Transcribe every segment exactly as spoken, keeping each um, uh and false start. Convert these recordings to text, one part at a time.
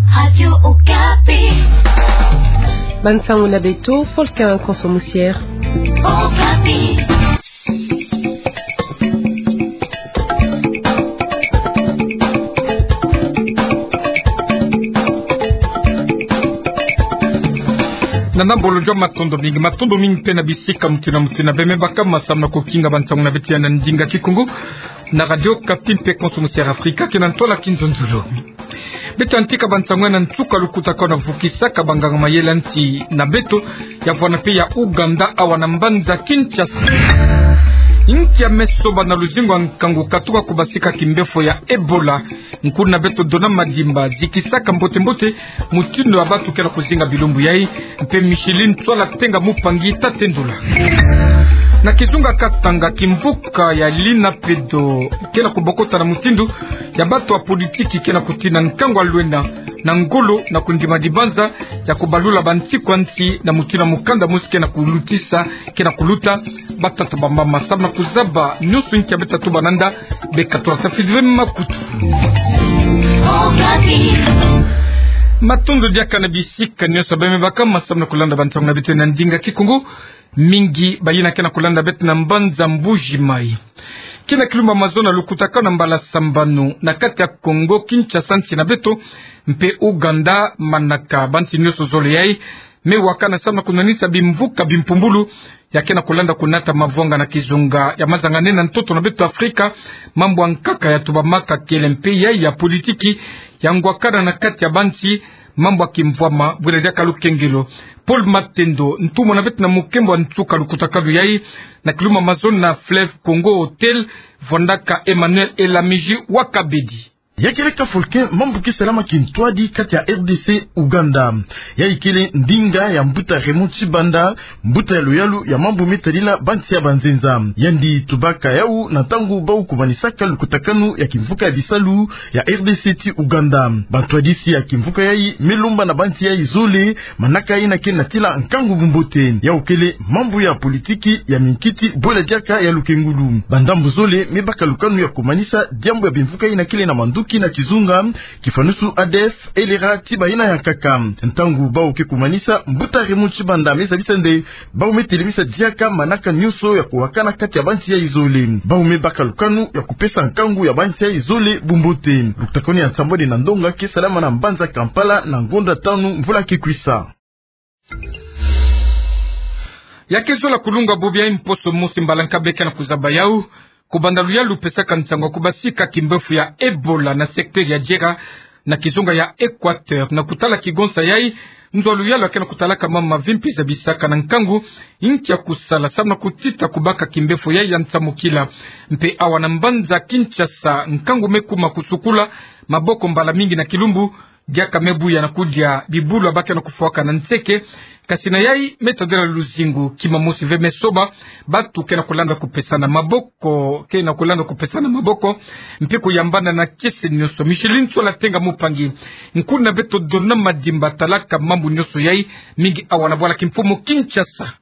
Radio Okapi. Bansango na beto, Volcan Konso Musiere. Okapi. Na nambolo jwa matondo mingi, matondo mingi mpe na bisika mutindu na mutindu beme baka, masambu na kukinga bansango na beto ya na ndinga Kikongo na Radio Okapi mpe Konso Musiere Afrika, ke na ntwala kinzonzolo. Beto yantika bansango ya na nsuka lukutakanu na vukisaka banganga mayele ya nsi na beto ya vwanda mpe ya Ouganda awa na mbanza Kinshasa. Inki ya me soba na luzingu ya nkangu katuka kubasika kimbefo ya Ebola? Nkuna beto Dona Madimba zikisaka mbote-mbote mutindu ya bantu ke na kuzinga bilumbu yai, mpe Micheline Tswala Tenga Mupangi ta tendula. Na kizunga Katanga, kimvuka ya Lina Pedo ke na kubokota na mutindu ya bantu ya politiki ke na kutina nkangu ya lwena na ngolo na kundima dibanza ya kubalula bansiku ya nsi na mutindu ya mukanda mosi ke na kulutisa, ke na kuluta. Batata, bamama, masambu na kuzaba nyonso inki ya me tatuba nanda, beka tula tafidi ve makutu. Matondo diaka na bisika nyonso beme baka, masambu na kulanda bansango na beto na ndinga Kikongo. Mingi bayina ke na kulanda beto na mbanza Mbuji Mayi. Ke na kilumbu mazono na lukutakanu na mbala sambanu na kati ya Kongo Kinshasa, nsi na beto, mpe Ouganda, manaka bansi nyonso zole yai me wakana samu na kunwanisa bimvuka bimpumbulu ya ke na kulanda kunata mavwanga na kizunga ya mazanga nene na ntoto na beto Afrika. Mambu ya nkaka ya tubamaka kele mpe yai ya politiki ya ngwakana na kati ya bansi, mambu ya kimvwama, bwela diaka lukengelo. Paul Matendo, ntumwa na beto na mukembo ya nsuka lukutakanu yai, na kilumbu mazono na Fleuve Congo Hotel, vwandaka Emmanuel Elamiji wa Kabedi. Ya kele ka Volcan, mambu ke salama kintwadi kati ya R D C Ouganda. Yai kele ndinga ya mbuta Raymond Tshibanda, mbuta ya luyalu ya mambu me tadila bansi ya banzenza. Yandi tubaka yawu na ntangu bawu kumanisaka lukutakanu ya kimvuka ya bisalu ya R D C ti Ouganda. Bantwadisi ya kimvuka yai me lomba na bansi yai zole manaka yina ke natila nkangu bumbote. Yawu kele mambu ya politiki, ya minkiti, bwela diaka ya lukengulu. Bandambu zole me baka lukanu ya kumanisa diambu ya bimvuka yina kele na manduki na kizunga, kifanusu A D F, L R A ti bayina ya nkaka. Ntangu bawu ke kumanisa, mbuta Raymond Tshibanda me zabisa nde bawu me telemisa diaka manaka nyonso ya kuwakana kati ya bansi yai zole. Bawu me baka lukanu ya kupesa nkangu ya bansi yai zole bumbote. Lukutakanu ya nsambwadi na ndonga ke salama na mbanza Kampala na ngonda tanu mvula ke kwisa. Ya ke zola kulunga bubu ya mposo mosi mbala nkabe ke na kuzaba yawu, kubanda luyalu pesaka nsangu ya kubasika kimbefu ya Ebola na secteur ya Djera, na kizunga ya Équateur, na kutala kigonsa yai, nzo ya luyalu ya ke na kutalaka mama mavimpi zabisaka na nkangu inki ya kusala samu na kutita kubaka kimbefu yai ya nsamukila. Mpe awa na mbanza Kinshasa, nkangu me kuma kusukula maboko mbala mingi na kilumbu, diaka me buya na kudia bibulu ya ba ke na kufwaka na nseke. Kasi na yai me tadila luzingu, kima mosi ve me soba, bantu ke na kulanda kupesana maboko, ke na kulanda kupesana maboko, mpe kuyambana na kiese nyonso. Micheline Tswala Tenga Mupangi, nkuna beto Dona Madimba talaka mambu nyonso yai, mingi awa na bwala kimfumu Kinshasa.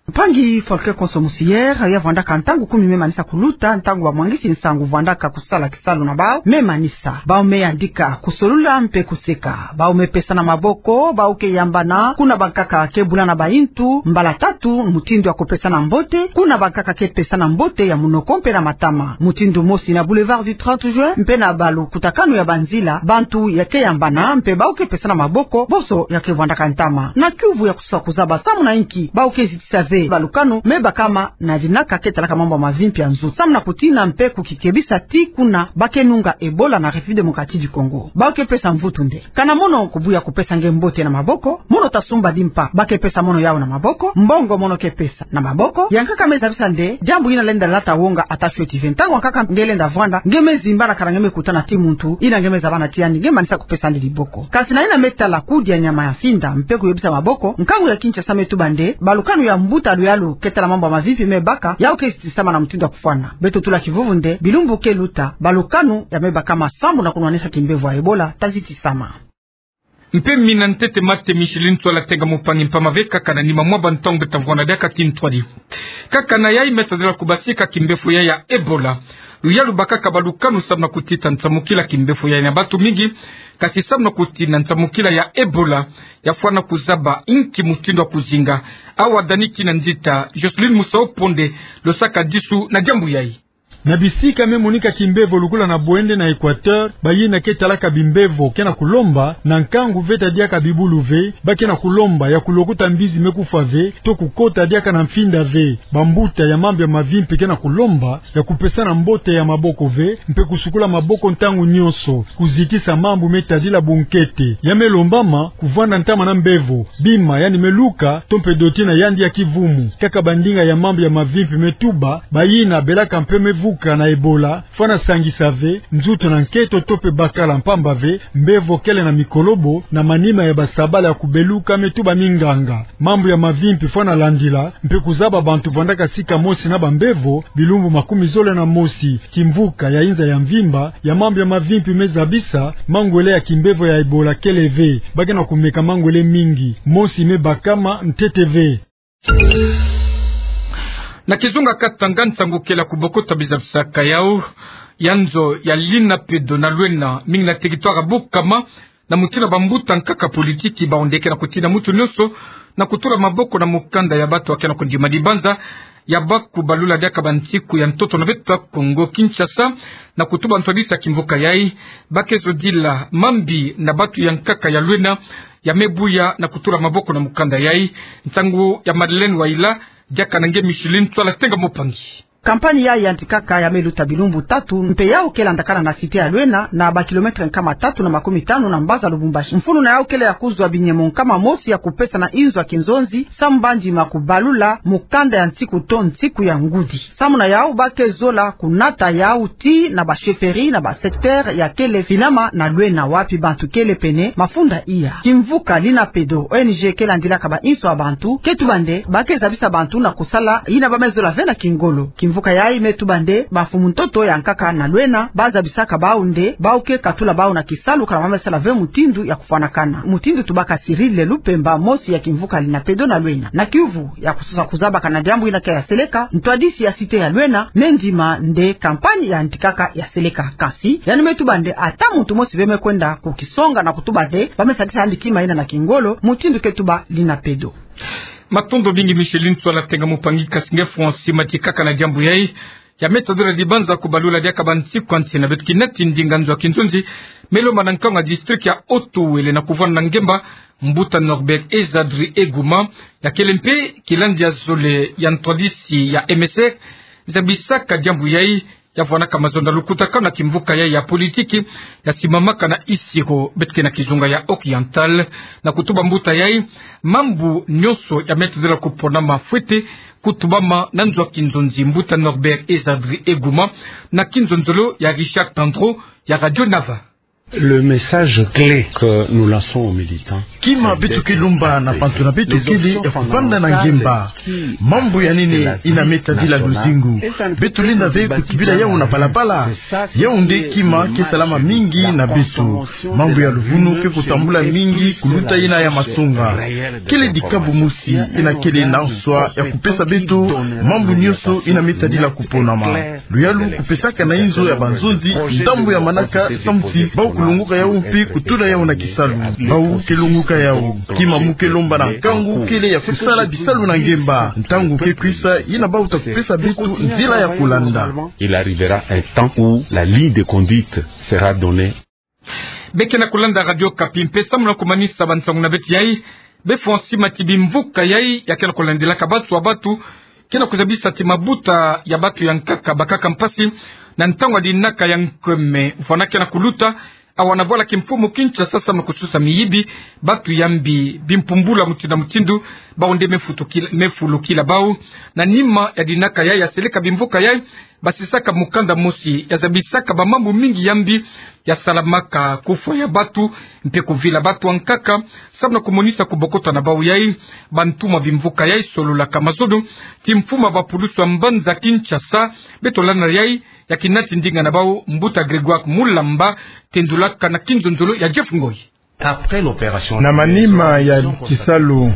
Mpangi Volcan Konso Musiere, ya vwandaka ntangu kumi me manisa kuluta, ntangu bamwangisi nsangu vwandaka kusala kisalu na bawu me manisa. Bawu me yandika, kusolula mpe kuseka. Bawu me pesana maboko, bawu ke yambana, kuna bankaka ke bulana bayintu, mbala tatu, mutindu ya kupesana mbote, kuna bankaka ke pesana mbote ya munoko mpe na matama. Mutindu mosi na Boulevard du trente Juin, mpe na balukutakanu ya banzila, bantu ya ke yambana, mpe bawu ke pesana maboko, bonso ya ke vwandaka ntama. Na kiuvu ya kusa kuzaba samu na inki bawu ke zitisa ve balukanu me bakama na dinaka ke talaka mambu ya mavimpi ya nzutu, samu na kutina mpe kukikebisa ti kuna ba ke nunga Ebola na République Démocratique du Congo. Bawu ke pesa mvutu nde: kana mono kubuya kupesa nge mbote na maboko, mono ta sumba dimpa, ba ke pesa mono yawu na maboko, mbongo mono ke pesa na maboko. Ya nkaka me zabisa nde diambu yina lenda lata wonga ata fioti ve. Ntangu ya nkaka nge lenda vwanda, nge me zimbana kana nge me kutana ti muntu yina nge me zabana ti yandi, nge manisa kupesa yandi liboko. Kasi na yina me tala kudia nyama ya finda mpe kuyebisa maboko, nkangu ya Kinshasa me tuba nde balukanu ya mbuta luyalu ke tala mambu ya mavimpi me baka, yawu ke zitisama na mutindu ya kufwana. Beto tula kivuvu nde bilumbu ke luta, balukanu ya me bakama samu na kunwanisa kimbefu ya Ebola ta zitisama. Mpe mina ntete mate Micheline Tswala Tenga Mupangi, mpamba ve kaka na nima mwa bantangu beto ta vwanda diaka ti ntwadi. Kaka na yai me tadila kubasika kimbefu yai ya Ebola. Luyalu bakaka balukanu samu na kutita nsamukila kimbefo yayi na bantu mingi, kasi samu na kutina nsamukila ya Ebola, ya fwana kuzaba inki mutindu ya kuzinga. Awa Dani Kinanzita, Jocelyne Musao Ponde, losaka disu na diambu yayi. Na bisika me monika kimbevo lukula na Bouende na Equateur, bayina ke talaka bimbevo ke na kulomba, na nkangu veta diaka bibulu ve, ba ke na kulomba ya kulukuta mbizi me kufwa ve, to kukota diaka na mfinda ve. Bambuta ya mambu ya mavimpi ke na kulomba ya kupesana mbote ya maboko ve, mpe kusukula maboko ntangu nyonso, kuzitisa mambu me tadila bunkete. Ya me lombama, kuvwanda ntama na mbevo, bima yandi me luka, to mpe doti na yandi ya kivumu. Kaka bandinga ya mambu ya mavimpi me tuba, bayina belaka mpe me vuka na Ebola, fwana sangisa ve, nzutu na nkento to mpe bakala mpamba ve, mbevo kele na mikolobo, na manima ya basabala ya kubeluka me tuba minganga. Mambu ya mavimpi fwana landila, mpe kuzaba bantu vandaka sika mosi na bambevo, bilumbu makumi zole na mosi. Kimvuka ya inza ya mvimba, ya mambu ya mavimpi me zabisa, mangwele ya kimbevo ya Ebola kele ve, ba ke na kumeka mangwele mingi, mosi me bakama ntete ve. Na kizunga Katanga, nsangu kele ya kubokota bizabisaka yau ya nzo ya Linapedo na Luena, mingi na territoire ya Bukama, na mutindu bambuta nkaka politiki bawu nde ke na kutina mutu nyonso na kutula maboko na mukanda ya bantu ya ke na kundima dibanza ya bakubalula diaka bansiku ya ntoto na beto ya Kongo Kinshasa, na kutuba ntwadisi ya kimvuka yayi. Ba ke zodila mambi na bantu ya nkaka ya Luena ya me buya na kutula maboko na mukanda yayi. Nsangu ya Madeleine Waila, diaka na nge Micheline Tswala Tenga Mopangi. Kampani yayi ya ntikaka ya me luta bilumbu tatu, mpe yau ke landakana na cité ya Luena, na ba kilomètre nkama tatu na makumi tanu na mbaza Lubumbashi. Mfunu na yau kele ya kuzwa binyemo nkama mosi ya kupesa na inzo ya kinzonzi, samu bandi ma kubalula mukanda ya nsiku to nsiku ya ngudi. Samu na yau ba ke zola kunata yau tii na ba chefferie na ba secteur ya kele finama na Luena, wapi bantu kele pene mafunda iya. Kimvuka Linapedo, O N G ke landilaka ba inso ya bantu, ke tuba nde ba ke zabisa bantu na kusala yina ba me zola ve na kingolo. Kimvuka yayi me tuba nde bamfumu ntoto ya nkaka na Luena ba zabisaka bau nde bau ke katula bau na kisalu kana ba me sala ve mutindu ya kufwanakana. Mutindu tubaka Cyril Lupemba, mosi ya kimvuka Linapedo na Luena. Na kiuvu ya kusosa kuzabakana diambu yina ke ya seleka, ntwadisi ya cité ya Luena me ndima nde kampani ya ntikaka ya seleka. Kasi yandi me tuba nde ata muntu mosi ve me kwenda kukisonga na kutuba nde ba me sadisa yandi kima yina na kingolo, mutindu ke tuba Linapedo. Matondo mingi Micheline Tswala Tenga Mopangi. Kasi nge Francis Matikaka, na diambu yayi ya me tadula dibanza kubalula diaka bansiku ya nsi na beto, kinati ndinga nzo ya kinzonzi me lomba na nkangu ya district ya Haut-Uele na kuvwanda na ngemba, mbuta Norbert Ezadri Eguma, ya kele mpe kilandi ya zole ya ntwadisi ya M S R, zabisaka diambu yayi, ya vwanaka mazono na lukutakanu na kimvuka yayi ya politiki ya simamaka na Isiro, beto ke na kizunga ya Oriental, na kutuba mbuta yayi mambu nyonso ya me tadila kuponama fwete kutubama na nzo ya kinzonzi. Mbuta Norbert Ezadri Eguma, na kinzonzolo ya Richard Tandro ya Radio Nava. Le message clé que nous lançons aux militants, kima beto ke lomba na bantu na beto kele ya kuvanda na ngemba. Mambu ya nene yina me tadila luzingu, beto lenda ve kutubila yau na balabala. Yau nde kima ke salama mingi na beto. Mambu ya luvunu ke kutambula mingi kuluta yina ya masonga. Kele dikabu mosi yina kele na nswa ya kupesa beto mambu nyonso yina me tadila kuponama. Luyalu kupesaka na inzo ya banzonzi ndambu ya manaka, samu ti bau kulongoka yau mpe kutula yau na kisalu. Bau ke longoka yau. Kima mu ke lomba na nkangu kele ya kusala bisalu na ngemba. Ntangu ke kwisa yina bau ta kupesa beto nzila ya kulanda. Il arrivera un temps où la ligne de conduite sera donnée. Be ke na kulanda Radio Okapi mpe samu na kumanisa bansangu na beto yayi, be fwa nsi mati bimvuka yayi ya ke na kulandilaka bantu ya bantu, ke na kuzabisa ti mabuta ya bantu ya nkaka bakaka mpasi na ntangu ya dinaka ya nkweme vwanda ke na kuluta, awa na vwala kimfumu Kinshasa, samu na kususa miyibi, bantu ya mbi bimpumbula mutindu na mutindu, bau nde me futukila, me fulukila bau. Na nima ya dinaka yayi ya seleka bimvuka yayi, basisaka mukanda mosi ya zabisaka bamambu mingi ya mbi ya salamaka, kufwa ya bantu, mpe kuvila bantu ya nkaka, samu na kumonisa kubokota na bau yayi. Bantu ma bimvuka yayi sololaka mazono ti mfumu ya bapulusu ya mbanza Kinshasa, beto landa yayi, ya kinati ndinga na bau, mbuta Grégoire Mulamba, tendulaka na kinzonzolo ya Jeff Ngoy. Na manima ya kisalu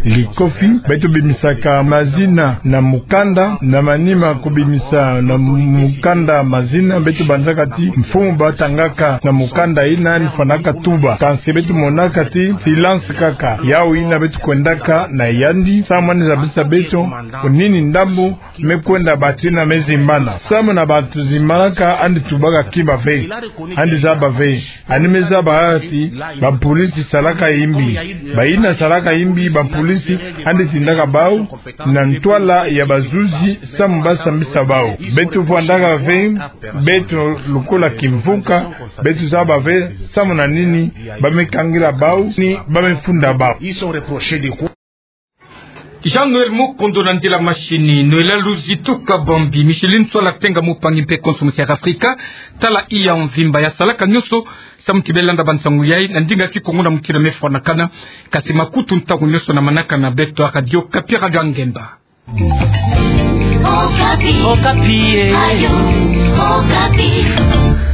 Likofi, beto bimisaka mazina na mukanda, na manima kubimisa na mu-, mukanda mazina, beto banzaka ti mfumu batangaka na mukanda yina ni fwanaka tuba. Kansi beto monaka ti silence kaka. Yawu yina beto kwendaka na yandi, samu yandi zabisa beto, nini ndambu me kwenda bantu yina me zimbana. Samu na bantu zimbanaka yandi tubaka kima ve, yandi zaba ve. Yandi me zaba ti, bapolisi salaka yimbi. Bayina salaka yimbi, bapolisi, yandi tindaka bawu na ntwala ya bazuzi, samu basambisa bawu. Beto fwandaka ve, beto lokola kimvuka, beto zaba ve, samu na nini, ba me kangila bawu, ni ba me funda bawu. Jean-Noël Mukondo na nzila mashini, Noël Luzi tuka Bambi, Micheline Sola Tenga, mopangi mpe konso musi ya Afrika, tala iya mvimba ya salaka nyonso, samu ti be landa bansangu yai, na ndinga Kikongo na mutindu me fwanakana, kasi makutu ntangu nyonso na manaka na beto ya Radio Okapi, Radio ya Ngemba. Okapi. Okapi, eh. Radio Okapi.